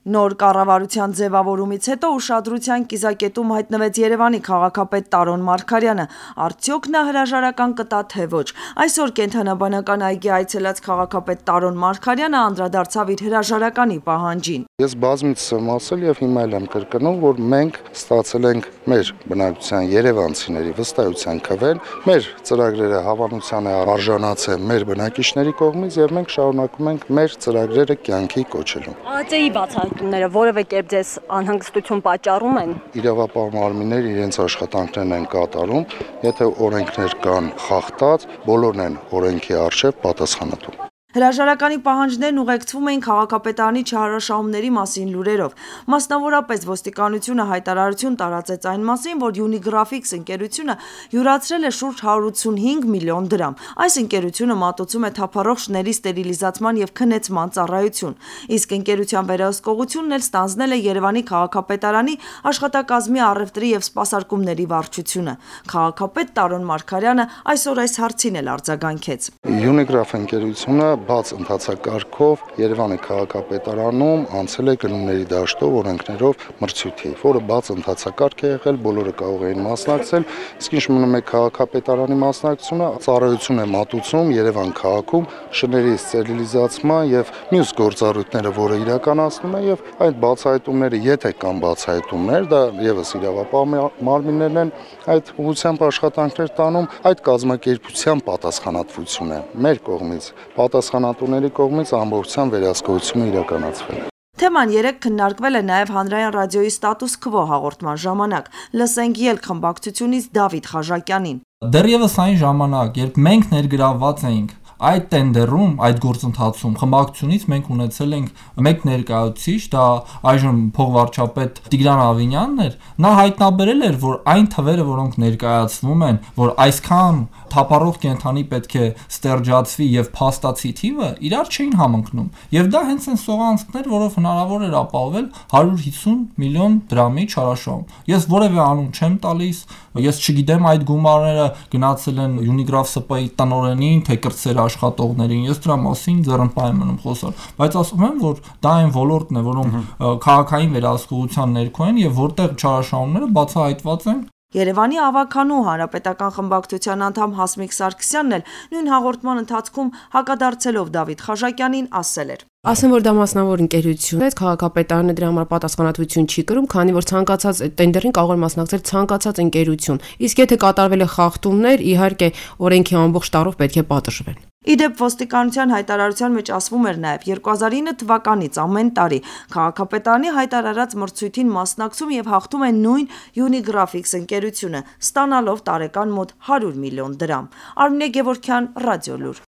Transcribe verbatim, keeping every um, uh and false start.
Նոր կառավարության ձևավորումից հետո ուշադրության կիզակետում հայտնվեց Երևանի քաղաքապետ Տարոն Մարգարյանը, արդյոք նա հրաժարական կտա թե ոչ։ Այսօր կենթանաբանական այգի այցելած քաղաքապետ Տարոն Մարգարյանը անդրադարձավ իր հրաժարականի պահանջին։ Ես բազմիցս եմ ասել եւ հիմա էլ եմ կրկնում, որ մենք ստացել ենք մեր բնակչության երևանցիների վստահության քվեն, մեր ծրագրերը հավանության է արժանացել մեր բնակիչների կողմից եւ մենք շարունակում ենք մեր ծրագրերը կյանքի կոչելու։ ԱԾ-ի բացահայտումները որևէ կերպ ձեզ անհանգստություն պատճառում են։ Իրավապահ մարմինները իրենց աշխատանքներն են կատարում, եթե օրենքներ կան խախտած, բոլորն են օրենքի առջև պատասխանատու։ Հրաժարականի պահանջներն ուղեկցվում էին քաղաքապետարանի չհարաշահումների մասին լուրերով։ Մասնավորապես ոստիկանությունը հայտարարություն տարածեց այն մասին, որ Unigraphics ընկերությունը յուրացրել է շուրջ հարյուր ութսունհինգ միլիոն դրամ։ Այս ընկերությունը մատուցում է թափառող շների ստերիլիզացման եւ քնեցման ծառայություն։ Իսկ ընկերության վերահսկողությունն էլ ստանձնել է Երևանի քաղաքապետարանի աշխատակազմի առևտրի եւ սպասարկումների վարչությունը։ Քաղաքապետ Տարոն Մարգարյանը այսօր այս հարցին էլ արձագանքեց։ Unigraph ընկերությունը բաց ընթացակարգով Երևանի քաղաքապետարանում անցել է գնումների դաշտով օրենքներով մրցույթի, որը բաց ընթացակարգ է եղել, բոլորը կարող էին մասնակցել, իսկ ինչ մնում է քաղաքապետարանի մասնակցությունը, ծառայություն է մատուցում Երևան քաղաքում շների ստերիլիզացման եւ մյուս գործառույթները, որը իրականացնում է եւ այդ բացահայտումները, եթե կան բացահայտումներ, դա եւս իրավապահ մարմիններն են այդ ուղղությամբ աշխատանքներ տանում, այդ կազմակերպության պատասխանատվություն է մեր կողմից պատասխանատուների կողմից ամբողջությամբ վերահսկողությունը իրականացվել է։ Թեման երեկ քննարկվել է նաև հանրային ռադիոյի ստատուս քվո հաղորդման ժամանակ։ Լսենք ելք խմբակցությունից Դավիթ Խաժակյանին։ Դեռևս այն ժամանակ, երբ մենք ներգրավված էինք այդ տենդերում, այդ գործընթացում խմբակցությունից մենք ունեցել ենք մեկ ներկայացուցիչ, դա այժմ փոխվարչապետ Տիգրան Ավինյանն էր, նա հայտնաբերել էր, որ այն թվերը, որոնք ներկայացվում են, որ այսքան թափառող կենդանի պետք է ստերջացվի եւ փաստացի թիվը իրար չէին համընկնում։ Եվ դա հենց այն սողանցքներ, որով հնարավոր էր ապահովել հարյուր հիսուն միլիոն դրամի չարաշահում։ Ես որևէ անուն չեմ տալիս, ես չգիտեմ այդ գումարները գնացել են Unigraph ՍՊ-ի տնօրենին, թե կրտսեր աշխատողներին, ես դրա մասին ձեռնպահ եմ մնում խոսալ, բայց ասում եմ, որ դա այն ոլորտն է, որոնք քաղաքային վերահսկողության ներքո են եւ որտեղ չարաշահումները բացահայտված են։ Երևանի ավականու հանրապետական խմբակցության անդամ Հասմիկ Սարգսյանն էլ նույն հաղորդման ընթացքում հակադարձելով Դավիթ Խաժակյանին ասել էր. Ասեմ, որ դա մասնավոր ընկերություն է, քաղաքապետարանը դրա համար պատասխանատվություն չի կրում, քանի որ ցանկացած տենդերին կարող է մասնակցել ցանկացած ընկերություն։ Իսկ եթե կատարվել է խախտումներ, իհարկե օրենքի ամբողջ տարով պետք է պատժվեն։ Իդեպ ոստիկանության հայտարարության մեջ ասվում էր նաև երկու հազար ինը թվականից ամեն տարի քաղաքապետարանի հայտարարած մրցույթին մասնակցում եւ հաղթում է նույն Unigraphics ընկերությունը, ստանալով տարեկան մոտ հարյուր միլիոն դրամ։ Արմինե Գևորգյան, Ռադիոլուր։